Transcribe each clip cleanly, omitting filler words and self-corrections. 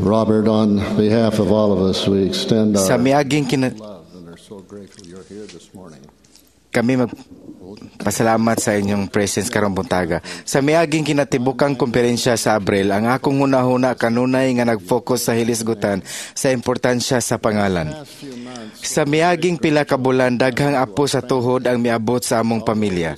Robert, on behalf of all of us, we extend our Sa miaging kina- love and are so grateful you're here this morning. Kami magpasalamat sa inyong presence karong buntaga. Sa miaging kinatibukang komperensya sa Abril, ang akong hunahuna kanunay nga nag-focus sa hilisgutan sa importansya sa pangalan. Past few months, Sa miaging pila ka bulan, daghang apo sa tuhod ang miabot sa among pamilya.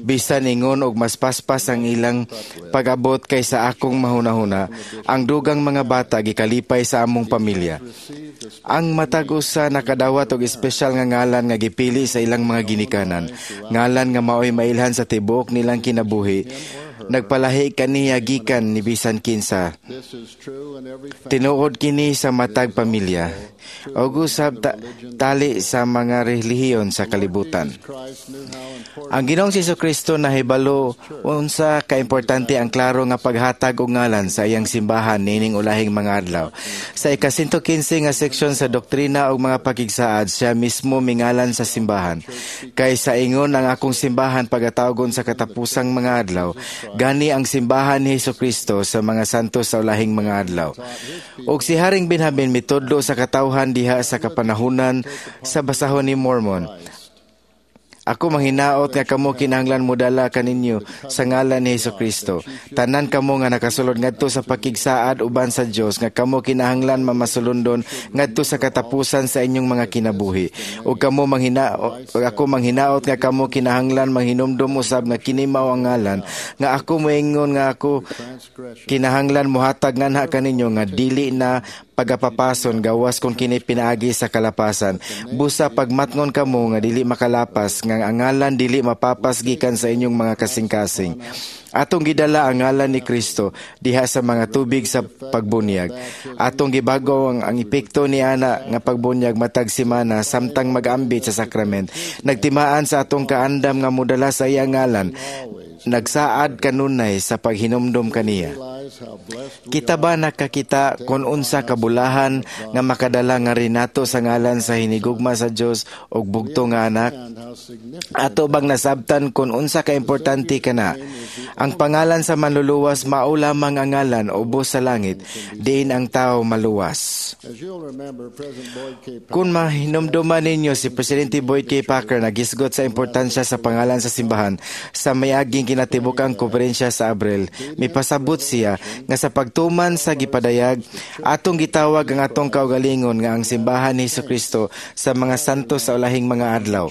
Bisan ingon og mas paspas ang ilang pag-abot kaysa akong mahunahuna, ang dugang mga bata gikalipay sa among pamilya. received this Ang matag usa nakadawat og espesyal nga ngalan nga gipili sa ilang mga ginikanan. Ngalan nga maoy mailhan sa tibuok nilang kinabuhi. Nagpalahi kaniya gikan ni bisan kinsa. This is true in every family. Tinuod kini sa matag pamilya. Og usab tali sa mga relihiyon sa kalibutan. Jesus Christ knew how important Ang Ginoong Kristo nahibalo unsa kaimportante ang klaro nga paghatag og ngalan sa iyang simbahan niining ulahing mga adlaw. Sa ika-115 nga seksyon sa Doktrina ug mga Pakigsaad, siya mismo mingalan sa simbahan. "Kay sa ingon ang akong simbahan pagatawgon sa katapusang mga adlaw," gani ang simbahan ni Kristo sa mga santos sa ulahing mga adlaw. Og si Haring Benjamin mitudlo sa katawhan diha sa kapanahunan sa basahon ni Mormon, "Ako manghinaot nga kamo kinahanglan modala kaninyo sa ngalan ni Kristo. Tanan kamo nga nakasulod ngadto sa pakigsaad uban sa Dios nga kamo kinahanglan mamasulundon ngadto sa katapusan sa inyong mga kinabuhi. Ug kamo manghinaot, ako manghinaot nga kamo kinahanglan manghinumdum usab nga kini mao ang ngalan nga ako moingon nga ako transgression kinahanglan mohatag nganha kaninyo nga dili na pagapapason gawas kung kini pinaagi sa kalapasan. Busa pagmatngon kamo nga dili makalapas nga ang ngalan dili mapapas gikan sa inyong mga kasing-kasing. Atong gidala ang ngalan ni Kristo diha sa mga tubig sa pagbunyag. Atong gibago ang epekto ni ana nga pagbunyag matag semana samtang mag-ambit sa sakrament. Nagtimaan sa atong kaandam nga modala sa iyang ngalan. Nagsaad kanunay sa paghinumdom kaniya." Realize how blessed we Kita ba nakakita kung unsa kabulahan nga makadala nga rinato sa ngalan sa hinigugma sa Dios og bugto nga anak? And how significant Ato bang nasabtan kung unsa ka importante kana? Ang pangalan sa Manluluwas mao lamang ang ngalan ubos sa langit, diin ang tao maluwas. As you'll remember, President Boyd K. Packer Kung mahinumduman ninyo, si Presidente Boyd K. Packer nagisgot sa importansya sa pangalan sa simbahan sa mayaging kinatibukang konferensya sa Abril. Mipasabot siya nga sa pagtuman sa gipadayag, atong gitawag ang atong kaugalingon nga ang simbahan ni Kristo sa mga santos sa ulahing mga adlaw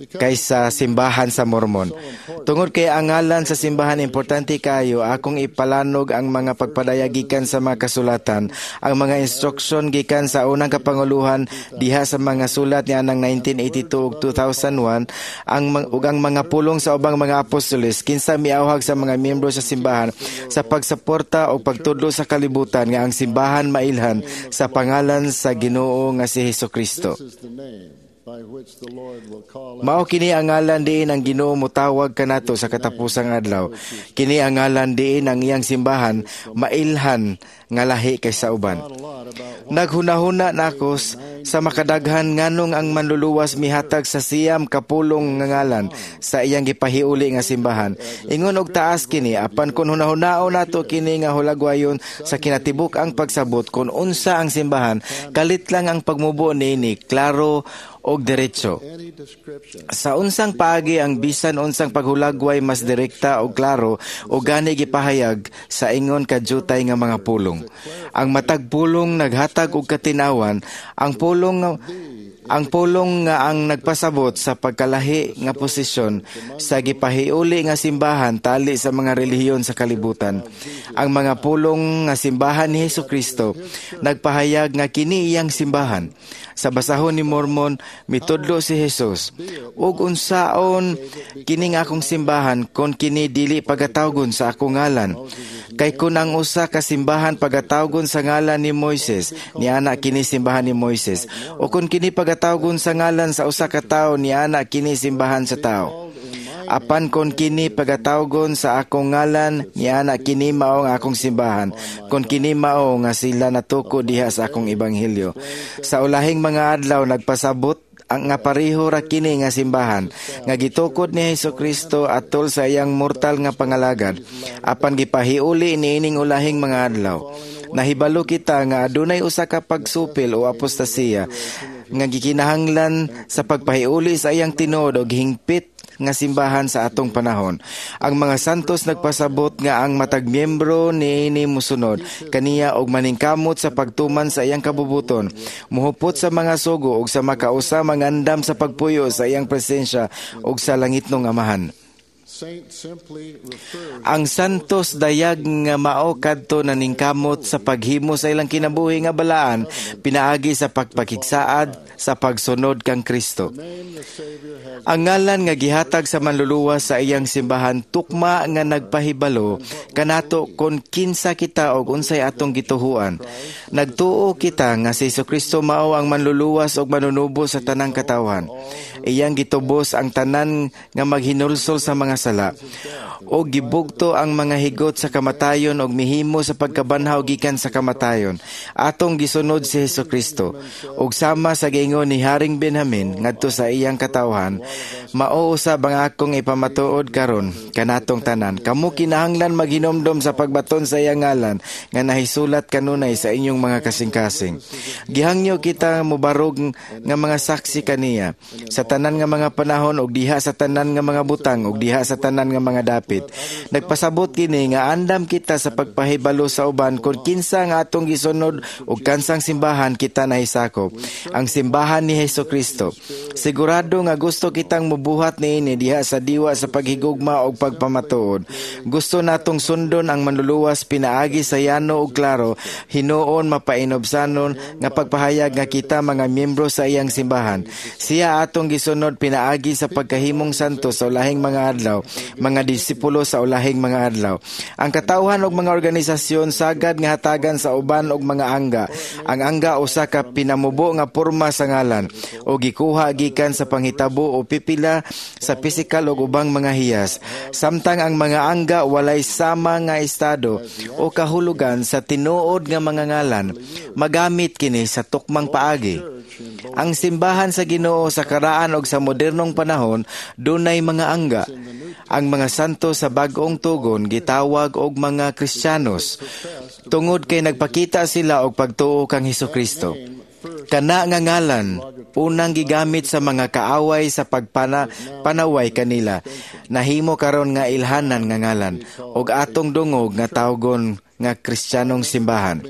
kaysa simbahan sa Mormon. Tungod kay ang ngalan sa simbahan importante kayo, akong ipalanog ang mga pagpadayag gikan sa mga kasulatan, ang mga instruksyon gikan sa unang kapanguluhan diha sa mga sulat niya ng 1982 ug 2001, ug ang mga pulong sa ubang mga apostoles kinsa miawhag sa mga miyembro sa simbahan sa pagsuporta o pagtudlo sa kalibutan nga ang simbahan mailhan sa pangalan sa Ginoo nga si Hesukristo. This is the name by which the Lord will call Mao kini ang ngalan diin ang Ginoo motawag kanato sa katapusang adlaw. Kini ang ngalan diin ang iyang simbahan mailhan nga lahi kaysa uban. A lot about Naghunahuna nako sa makadaghan nganong ang Manluluwas mihatag sa 9 ka pulong nga ngalan sa iyang gipahiuli nga simbahan. Ingon og taas kini, apan kun hunahunaon nato kini nga hulagwayon sa kinatibuk ang pagsabot kung unsa ang simbahan, kalit lang ang pagmubo niini, klaro og diretso. Any description Sa unsang paagi ang bisan unsang paghulagway mas direkta o klaro o gani gipahayag sa ingon kajutay nga mga pulong? Ang matag pulong naghatag og katinawan, ang pulong nga ang nagpasabot sa pagkalahi nga posisyon sa gipahiuli nga simbahan tali sa mga relihiyon sa kalibutan. Ang mga pulong nga simbahan ni Kristo nagpahayag nga kini iyang simbahan. Sa basahon ni Mormon, mitudlo si Jesus, "Ug unsaon kining akong simbahan kon kini dili pagatawgon sa akong ngalan? Kay kun ang usa ka simbahan pagatawgon sa ngalan ni Moises, niana kini simbahan ni Moises. O kon kini pagatawgon sa ngalan sa usa ka tawo, niana kini simbahan sa tao. Apan kon kini pagatawgon sa akong ngalan, niana kini mao ang akong simbahan, kon kini mao nga sila natuko diha sa akong ebanghelyo." Sa ulahing mga adlaw nagpasabot ang nga pareho ra kini nga simbahan nga gitukod ni Kristo atol sa iyang mortal nga pangalagad, apan gipahiuli niining ulahing mga adlaw. Nahibalo kita nga adunay usa ka pagsupil o apostasiya nga gikinahanglan sa pagpahiuli sa iyang tinuod og hingpit nga simbahan sa atong panahon. Ang mga santos nagpasabot nga ang matag miyembro niini mosunod kaniya og maningkamot sa pagtuman sa iyang kabubuton, muhupot sa mga sugo og sa makausa mangandam sa pagpuyo sa iyang presensya og sa langitnong Amahan. Saint simply refers Ang santos dayag nga mao kadto naningkamot sa paghimo sa ilang kinabuhi nga balaan pinaagi sa pagpakigsaad sa pagsunod kang Kristo. Name the Savior has Ang ngalan nga gihatag sa Manluluwas sa iyang simbahan tukma nga nagpahibalo kanato kon kinsa kita og unsay atong gituhuan. Nagtuo kita nga si Kristo mao ang Manluluwas og manunubos sa tanang katawhan. Iyang gitubos ang tanan nga maghinulsol sa mga sala o gibugto ang mga higot sa kamatayon og mihimo sa pagkabanhaw gikan sa kamatayon. Atong gisunod si Hesukristo ug sama sa giingon ni Haring Benjamin ngadto sa iyang katawhan, mao usab ang akong ipamatuod karon kanatong tanan. Kamo kinahanglan maghinomdom sa pagbaton sa iyang ngalan nga nahisulat kanunay sa inyong mga kasing-kasing. Gihangyo kita mobarog nga mga saksi kaniya sa tanan nga mga panahon ug diha sa tanan nga mga butang ug diha sa tanan nga mga dapit. Nagpasabot kini nga andam kita sa pagpahibalo sa uban kung kinsa nga atong gisunod ug kansang simbahan kita nahisakop, ang simbahan ni Hesus Kristo. Sigurado nga gusto kitang mubuhat niini diha sa diwa sa paghigugma ug pagpamatuod. Gusto natong sundon ang Manluluwas pinaagi sa yano ug klaro, hinuon mapainobsanon nga pagpahayag nga kita mga miyembro sa iyang simbahan. Siya atong gisunod pinaagi sa pagkahimong santo sa ulahing mga adlaw, mga disipulo sa ulahing mga adlaw. Ang katawhan og mga organisasyon sagad nga hatagan sa uban og mga angga. Ang angga usa ka pinamubo nga porma sa ngalan o gikuha gikan sa panghitabo o pipila sa pisikal og ubang mga hiyas. Samtang ang mga angga walay sama nga estado o kahulugan sa tinuod nga mga ngalan, magamit kini sa tukmang paagi. Ang simbahan sa Ginoo sa karaan og sa modernong panahon dunay mga angga. Ang mga santo sa bag-ong tugon gitawag og mga Kristiyanos tungod kay nagpakita sila og pagtuo kang Hesukristo. Kana nga ngalan unang gigamit sa mga kaaway sa pagpana panaway kanila. Nahimo karon nga ilhanan nga ngalan og atong dungog nga tawgon nga Kristiyanong simbahan.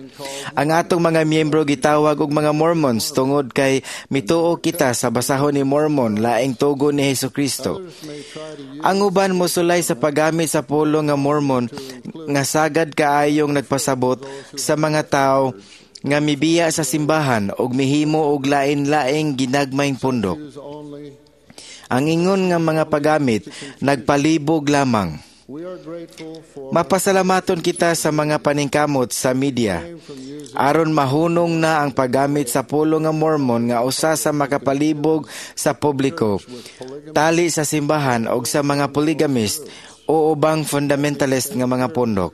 Ang atong mga miyembro gitawag og mga Mormons tungod kay mituo kita sa basahon ni Mormon, laing tugon ni Hesukristo. May try to use Ang uban mosulay sa paggamit sa pulong nga Mormon nga sagad kaayong nagpasabot sa mga tao nga mibiya sa simbahan og mihimo og lain-laing ginagmayng pundok. Use only Ang ingon nga mga paggamit nagpalibog lamang. We are grateful for Mapasalamaton kita sa mga paningkamot sa media from using aron mahunong na ang paggamit sa pulong nga Mormon nga usa sa makapalibog sa publiko tali sa simbahan og sa mga polygamist o ubang fundamentalist nga mga pundok.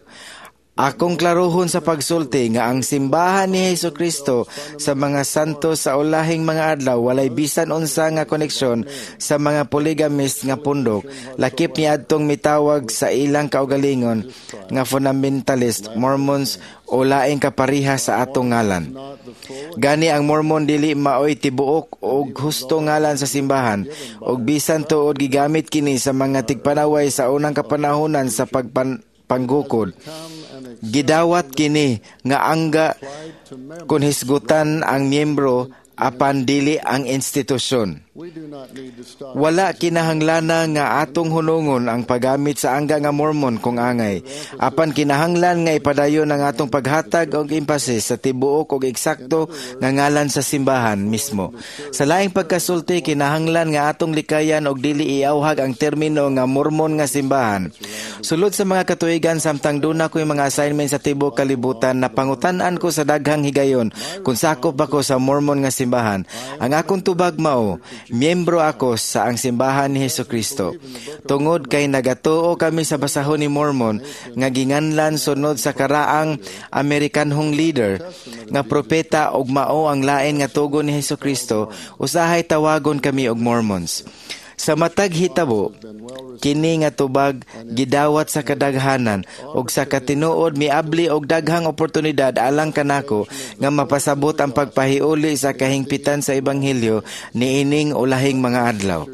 Akong klarohon sa pagsulti nga ang simbahan ni Hesus Kristo sa mga santo sa ulahing mga adlaw walay bisan unsa nga koneksyon sa mga polygamist nga pundok, lakip ni adtong mitawag sa ilang kaugalingon nga fundamentalist Mormons o laing kapariha sa atong ngalan. Not the full Gani ang Mormon dili maoy tibuok og husto ngalan sa simbahan og bisan tuod gigamit kini sa mga tigpanaway sa unang kapanahonan sa pagpan panggukod. Come and Gidawat kini nga angga applied to members. Kun hisgutan ang miyembro apan dili ang institusyon. We do not need to stop Wala kinahanglana nga atong hunungon ang paggamit sa angga nga Mormon kung angay. Apan kinahanglan nga ipadayon ang atong paghatag og emphasis sa tibuok og eksakto nga ngalan sa simbahan mismo. Sa laing pagkasulti, kinahanglan nga atong likayan og dili iawhag ang termino nga Mormon nga simbahan. Sulod sa mga katuigan samtang duna ko'y mga assignment sa tibuok kalibutan, napangutan-an ko sa daghang higayon kung sakop ba ko sa Mormon nga simbahan. Ang akong tubag mao, miyembro ako sa ang simbahan ni Hesukristo. Tungod kay nagatuo kami sa basahon ni Mormon nga ginganlan sunod sa karaang Amerikanhong leader nga propeta ug mao ang lain nga tugon ni Hesukristo, usahay tawagon kami og Mormons. Sa matag hitabo, kini nga tubag gidawat sa kadaghanan ug sa katinuod miabli og daghang oportunidad alang kanako nga mapasabot ang pagpahiuli sa kahingpitan sa ebanghelyo niining ulahing mga adlaw.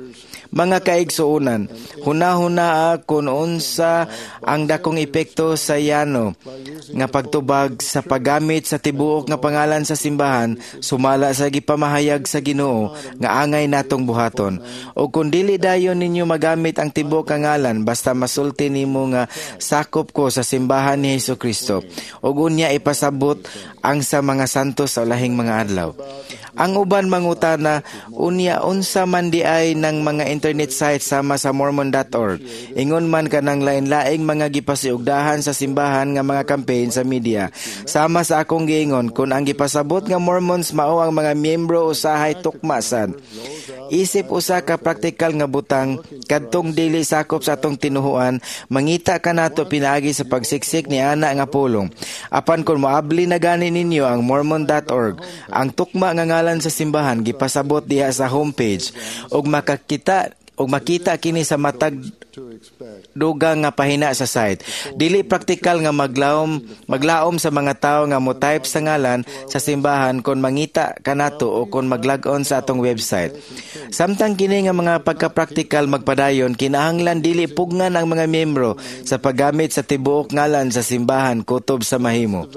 Mga kaigsuonan, hunahuna kon unsa ang dakong epekto sa yano nga pagtubag sa paggamit sa tibuok nga pangalan sa simbahan sumala sa gipamahayag sa Ginoo nga angay natong buhaton. O kung dili dayon ninyo magamit ang tibuok nga ngalan, basta masulti nimo nga sakop ko sa simbahan ni Hesukristo ug unya ipasabot ang sa mga santos sa ulahing mga adlaw. Ang uban mangutana, unya unsa man diay ng mga internet site sama sa mormon.org? Ingon man kanang lain-laing mga gipasiugdahan sa simbahan nga mga campaign sa media. Sama sa akong giingon, kung ang gipasabot nga Mormons mao ang mga miyembro, usahay tukma sad. Isip usa ka praktikal nga butang, kadtong dili sakop sa atong tinuhuan, mangita kanato pinaagi sa pagsiksik ni ana nga pulong. Apan kung moabli na gani ninyo ang mormon.org, ang tukma nga ngalan sa simbahan gipasabot diha sa homepage ug makita kini sa matag dugang nga pahina sa site. Dili praktikal nga maglaom sa mga tawo nga mo type sa ngalan sa simbahan kon mangita kanato o kon maglag-on sa atong website. Samtang kini nga mga pagkapraktikal magpadayon, kinahanglan dili pugnan ang mga miyembro sa paggamit sa tibuok ngalan sa simbahan kutob sa mahimo.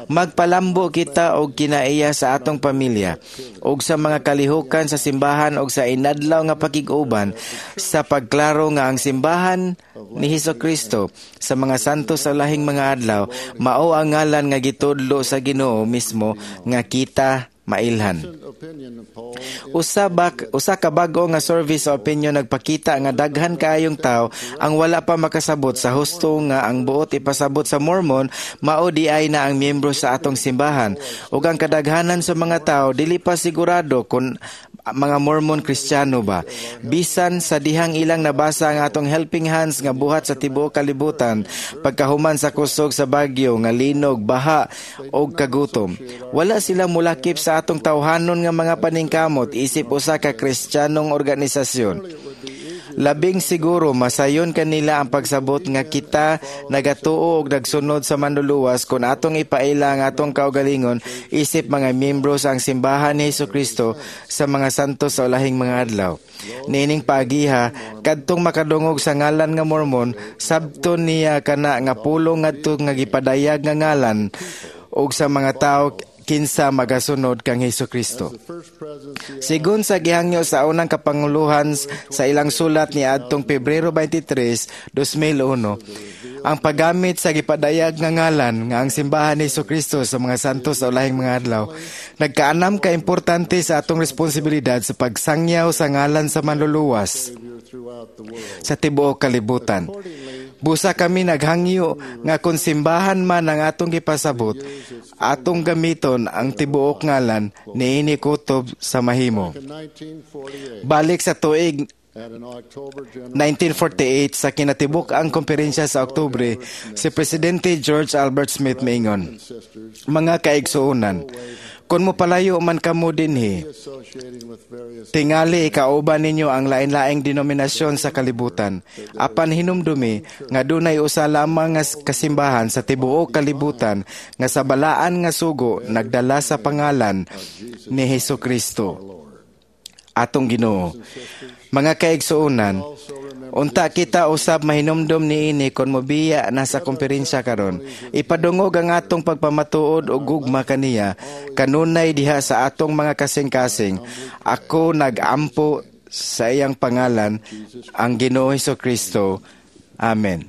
Magpalambo kita og kinaiya sa atong pamilya ug sa mga kalihukan sa simbahan og sa inadlaw nga pakig-uban sa pagklaro nga ang simbahan ni Hesukristo sa mga santos sa lahing mga adlaw mao ang ngalan nga gitudlo sa Ginoo mismo nga kita mailhan. Opinion poll Usa ka bag-o nga survey sa opinion nagpakita nga daghan kaayong tawo ang wala pa makasabot sa husto nga ang buot ipasabot sa Mormon mao diay na ang miyembro sa atong simbahan, ug ang kadaghanan sa mga tawo dili pa sigurado kung mga Mormon Kristiyano ba. Bisan sa dihang ilang nabasa ang atong Helping Hands nga buhat sa tibuok kalibutan pagkahuman sa kusog sa bagyo nga linog, baha og kagutom, wala sila mulakip sa atong tawhanon nga mga paningkamot isip usa ka Kristiyanong organisasyon. Labing siguro masayon kanila ang pagsabot nga kita nagatuo og nagsunod sa Manluluwas kung atong ipaila ang atong kaugalingon isip mga miyembro sa ang simbahan ni Hesukristo sa mga santos sa ulahing mga adlaw. Niining paagiha, kadtong makadungog sa ngalan nga Mormon, sabton niya kana nga pulong ngadto nga gipadayag nga ngalan og sa mga tawo kinsa magasunod kang Hesukristo. The First Presidency Sigon sa gihangyo sa unang kapanguluhan sa ilang sulat ni adtong Pebrero 23, 2001, ang paggamit sa gipadayag nga ngalan nga ang simbahan ni Kristo sa mga santos sa ulahing mga adlaw nagkaanam ka importante sa atong responsibilidad sa pagsangyaw sa ngalan sa Manluluwas Savior throughout the world. Sa tibuok kalibutan. Busa kami naghangyo nga kung simbahan man ang atong gipasabot, atong gamiton ang tibuok ngalan niini kutob sa mahimo. In 1948, Balik sa tuig at an October general 1948 sa kinatibuk-ang komperensya sa Oktubre, si Presidente George Albert Smith miingon, and sisters "Mga kaigsuonan, kung mopalayo man kamo dinhi, associating with various tingali ikauban ninyo ang lain-laing denominasyon sa kalibutan. Apan hinumdumi nga dunay usa lamang nga kasimbahan sa tibuok kalibutan nga sa balaan nga sugo nagdala sa pangalan ni Hesukristo, atong Ginoo. Mga kaigsuonan, unta kita usab mahinumdom niini kon mobiya na sa komperensya karon. Ipadungog ang atong pagpamatuod og gugma kaniya kanunay diha sa atong mga kasing-kasing. Ako nag-ampo sa iyang pangalan, ang Ginoo Kristo. Amen."